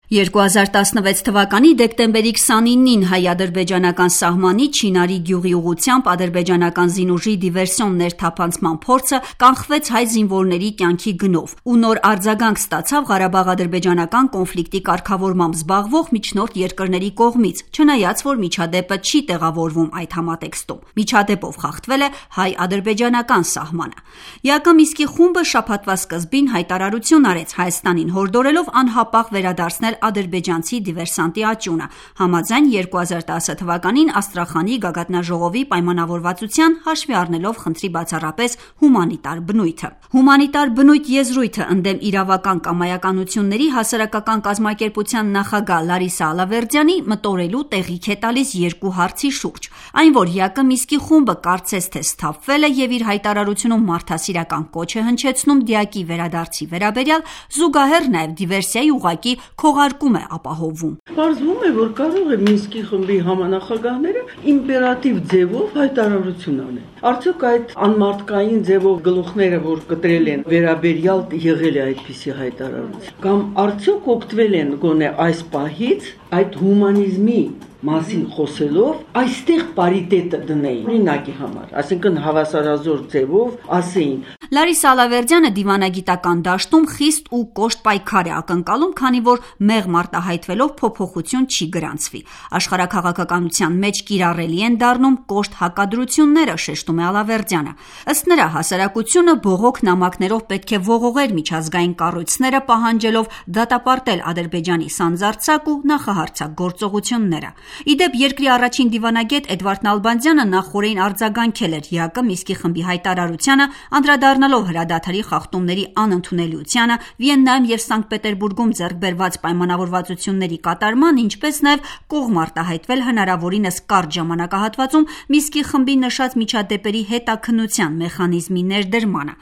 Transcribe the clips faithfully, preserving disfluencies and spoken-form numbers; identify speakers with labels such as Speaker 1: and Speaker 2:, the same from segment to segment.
Speaker 1: երկու հազար տասնվեց թվականի դեկտեմբերի քսանինին հայ-ադրբեջանական սահմանի Չինարի գյուղի ուղղությամբ ադրբեջանական զինուժի դիվերսիոն ներթափանցման փորձը կանխվեց հայ զինվորների կյանքի գնով ու նոր արձագանք ստացավ Ղարաբաղ-ադրբեջանական կոնֆլիկտի կարգավորմամբ զբաղվող միջնորդ երկրների կողմից, չնայած որ միջադեպը չի տեղավորվում այդ համատեքստում։ Միջադեպով խախտվել է հայ-ադրբեջանական սահմանը։ ԵԱԿ Միսկի խումբը շաբաթվա սկզբին հայտարարություն արեց Հայաստանին հորդորելով անհապաղ վերադարձնել ադրբեջանցի դիվերսանտի աճյունը, համաձայն երկու հազար տասը թվականին Աստրախանի գագաթնաժողովի պայմանավորվածության հաշվի առնելով խնդրի բացառապես հումանիտար բնույթը։ Հումանիտար բնույթ եզրույթը ընդդեմ իրավական կամայականությունների հասարակական կազմակերպության նախագահ Լարիսա Ալավերդյանի մտորելու տեղիք է տալիս երկու հարցի շուրջ։ Այն, որ ԵԱԿ Միսկի խումբը կարծես թե սթափվել է եւ իր հայտարարությունում մարդասիրական կոչ է հնչեցնում դիակի վերադարձի վերաբերյալ, զուգահեռ նաեւ դիվերսիայի ուղղակի քողարկում է ապահովում։
Speaker 2: Պարզվում է, որ կարող է Մինսկի խմբի համանախագահները իմպերատիվ ձևով հայտարարություն անեն։ Արդյոք այդ անմարդկային ձևով գլուխները, որ կտրել են, վերաբերյալ եղել է այդպիսի հայտարարություն։ Կամ արդյոք օգտվել են գոնե այս պահից այդ հումանիզմի մասին խոսելով այստեղ պարիտետը դնեին օրինակի համար, այսինքն հավասարազոր ձևով ասեին։
Speaker 1: Լարիսա Ալավերդյանը դիվանագիտական դաշտում խիստ ու կոշտ պայքար է ակնկալում, քանի որ մեղմ արտահայտվելով փոփոխություն չի գրանցվի։ Աշխարհաքաղաքականության մեջ կիրառելի են դառնում կոշտ հակադրությունները, շեշտում է Ալավերդյանը։ Ըստ նրա, հասարակությունը բողոք նամակներով պետք է ողողեր միջազգային կառույցները, պահանջելով դատապարտել Ադրբեջանի սանձարձակ ու նախահարձակ գործողությունները։ Իդեպ երկրի առաջին դիվանագետ Էդվարդ Նալբանդյանը նախօրեին արձագանքել էր ԵԱԿ Միսկի խմբի հայտարարությանը, անդրադառնալով հրադադարի խախտումների անընդունելիությանը, Վիեննայում եւ Սանկտ Պետերբուրգում ձեռք բերված պայմանավորվածությունների կատարման, ինչպես նաեւ կողմ արտահայտվել հնարավորինս կարճ ժամանակահատվածում Միսկի խմբի նշած միջադեպերի հետաքննության մեխանիզմի ներդրմանը։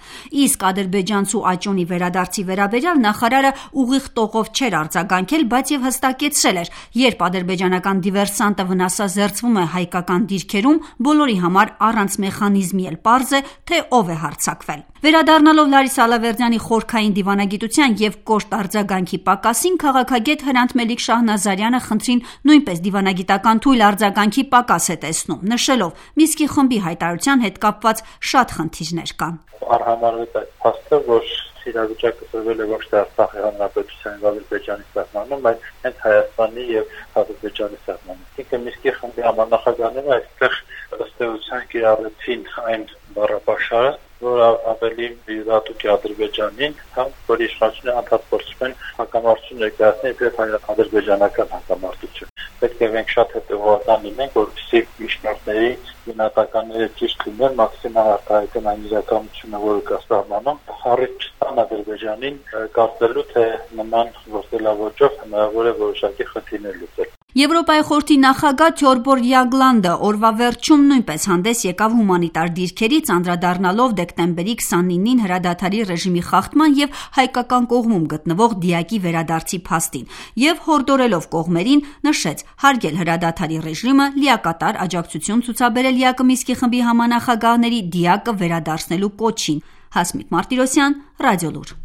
Speaker 1: Իսկ ադրբեջանցու աճյունի վերադարձի վերաբերյալ նախարարը ուղիղ տողով չէր արձագանքել, բայց եւ հստակեցրել էր, երբ ադրբեջանական դիվերսանտը վնասազերծվում է հայկական դիրքերում, բոլորի համար առանց մեխանիզմի էլ պարզ է, թե ով է հարձակվել։ Վերադառնալով Լարիսա Ալավերդյանի խորքային դիվանագիտության եւ կոշտ արձագանքի պակասին, քաղաքագետ Հրանտ Մելիք Շահնազարյանը խնդրին նույնպես դիվանագիտական թույլ արձագանքի պակաս է տեսնում, նշելով Միսկի խմբի հայտարարության հետ կապված շատ խնդիրներ կան։
Speaker 3: Արհամարվեց այդ փաստը, որ իրավիճակը ծրվել է ոչ թե Արցախի հանրապետության եւ Ադրբեջանի սահմանում, այլ հենց Հայաստանի եւ Ադրբեջանի սահմանում։ Ինքը Միսկի խմբի համանախագահները այստեղ ըստ էության կիրառեցին այն բառապաշարը, որ ավելի դատուկ է Ադրբեջանին, քան որ իշխանությունը անդադարձում են հակամարտություն ներկայացնել իբրև ադրբեջանական հակամարտություն։ Պետք է մենք շատ հետևողական լինենք, որպեսզի միջնորդների գնահատականները ճիշտ լինեն, մաքսիմալ արտահայտեն այն իրականությունը, որը կա սահմանում, առիթ չտան Ադրբեջանին կարծելու, թե նման գործելավոճով հնարավոր է որոշակի խնդիրներ լուծել։
Speaker 1: Եվրոպայի խորհրդի նախագահ Թյորբոր Յագլանդը օրվա վերջում նույնպես հանդես եկավ հումանիտար դիրքերից, անդրադառնալով դեկտեմբերի քսանինին հրադադարի ռեժիմի խախտման եւ հայկական կողմում գտնվող դիակի վերադարձի փաստին եւ հորդորելով կողմերին նշեց հարգել հրադադարի ռեժիմը, լիակատար աջակցություն ցուցաբերել ԵԱԿ Միսկի խմբի համանախագահների դիակը վերադարձնելու կոչին։ Հասմիկ Մարտիրոսյան, Ռադիոլուր։